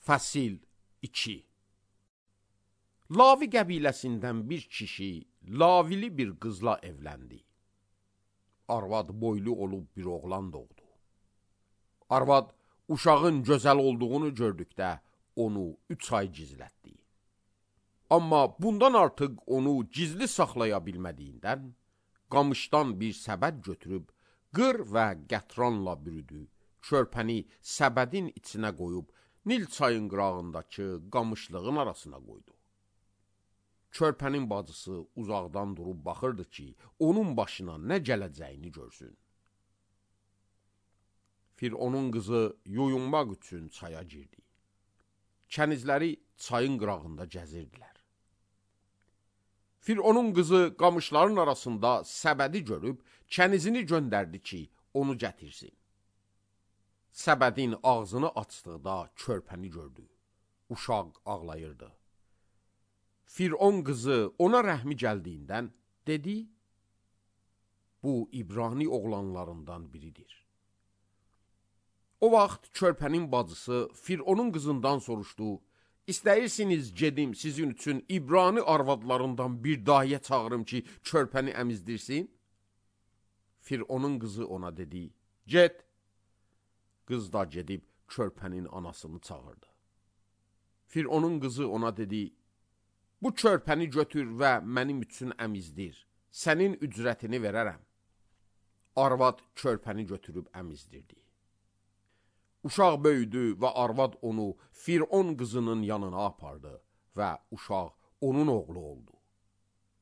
Fəsil 2. Lavi qəbiləsindən bir kişi lavili bir qızla evləndi. Arvad boylu olub bir oğlan doğdu. Arvad uşağın gözəl olduğunu gördükdə onu 3 ay gizlətdi. Amma bundan artıq onu gizli saxlaya bilmədiyindən, qamışdan bir səbət götürüb, qır və qətranla bürüdü, körpəni səbədin içinə qoyub, Nil çayın qırağındakı qamışlığın arasına qoydu. Körpənin bacısı uzaqdan durub baxırdı ki, onun başına nə gələcəyini görsün. Fironun qızı yuyunmaq üçün çaya girdi. Kənizləri çayın qırağında gəzirdilər. Fironun qızı qamışların arasında səbədi görüb, kənizini göndərdi ki, onu gətirsin. Səbədin ağzını açdıqda körpəni gördü. Uşaq ağlayırdı. Firon qızı ona rəhmi gəldiyindən dedi, bu İbrani oğlanlarından biridir. O vaxt körpənin bacısı Fironun qızından soruşdu, İstəyirsiniz gedim sizin üçün İbrani arvadlarından bir dahiyə çağırım ki, körpəni əmizdirsin? Fironun qızı ona dedi, get. Qız da gedib körpənin anasını çağırdı. Fironun qızı ona dedi, bu körpəni götür və mənim üçün əmizdir, sənin ücrətini verərəm. Arvad körpəni götürüb əmizdirdi. Uşaq böyüdü və arvad onu Firon qızının yanına apardı və uşaq onun oğlu oldu.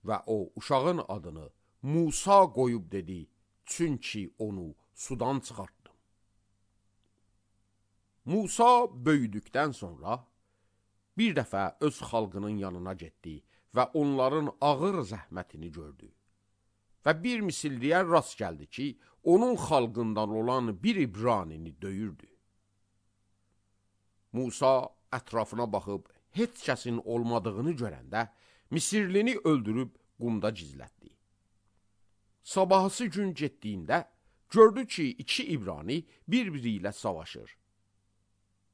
Və o uşağın adını Musa qoyub dedi, çünki onu sudan çıxartdım. Musa böyüdükdən sonra bir dəfə öz xalqının yanına getdi və onların ağır zəhmətini gördü. Və bir misilliyə rast gəldi ki, onun xalqından olan bir İbranini döyürdü. Musa ətrafına baxıb heç kəsin olmadığını görəndə Misirlini öldürüb qumda gizlətdi. Sabahısı gün getdiyində gördü ki, 2 İbrani bir-biri ilə savaşır.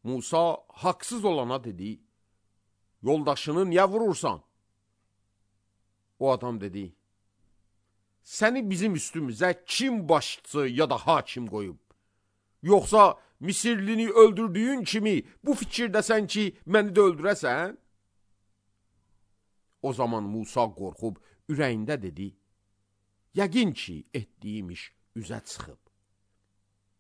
Musa haqsız olana dedi, yoldaşını niyə vurursan? O adam dedi, səni bizim üstümüzə kim başçı ya da hakim qoyub? Yoxsa Misirlini öldürdüyün kimi bu fikirdəsən ki, məni də öldürəsən? O zaman Musa qorxub ürəyində dedi, yəqin ki, etdiyim iş üzə çıxıb.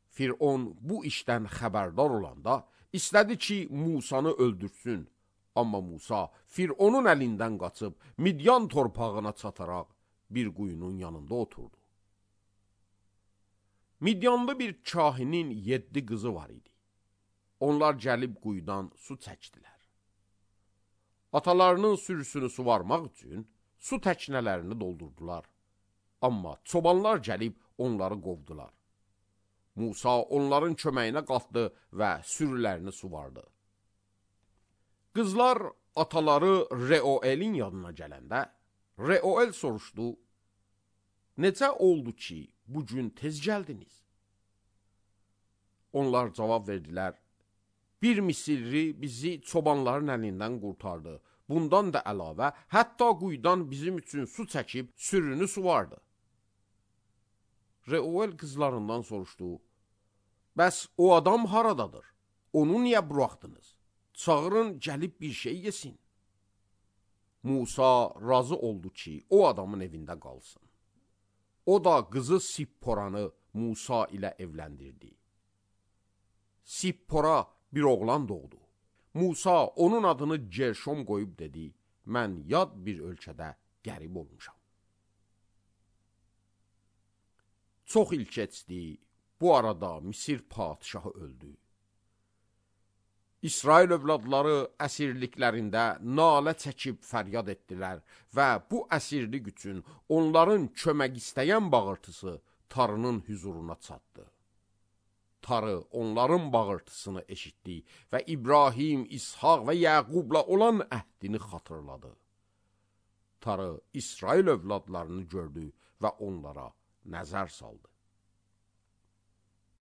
Firon bu işdən xəbərdar olanda istədi ki, Musanı öldürsün. Amma Musa Fironun əlindən qaçıb Midyan torpağına çataraq bir quyunun yanında oturdu. Midyanlı bir kahinin 7 qızı var idi. Onlar gəlib quyudan su çəkdilər. Atalarının sürüsünü suvarmaq üçün su təknələrini doldurdular. Amma çobanlar gəlib onları qovdular. Musa onların köməyinə qalxdı və sürülərini suvardı. Qızlar ataları Reuelin yanına gələndə, Reuel soruşdu, necə oldu ki, bugün tez gəldiniz? Onlar cavab verdilər, bir Misirli bizi çobanların əlindən qurtardı. Bundan da əlavə, hətta quyudan bizim üçün su çəkib sürünü suvardı. Reuel qızlarından soruşdu, bəs o adam haradadır? Onu niyə buraxdınız? Çağırın, gəlib bir şey yesin. Musa razı oldu ki, o adamın evində qalsın. O da qızı Sipporanı Musa ilə evləndirdi. Sippora bir oğlan doğdu. Musa onun adını Gerşom qoyub dedi, mən yad bir ölkədə qərib olmuşam. Çox il keçdi, bu arada Misir padişahı öldü. İsrail övladları əsirliklərində nalə çəkib fəryad etdilər və bu əsirlik üçün onların kömək istəyən bağırtısı Tarının hüzuruna çatdı. Tarı onların bağırtısını eşitdi və İbrahim, İshaq və Yəqubla olan əhdini xatırladı. Tarı İsrail övladlarını gördü və onlara nəzər saldı.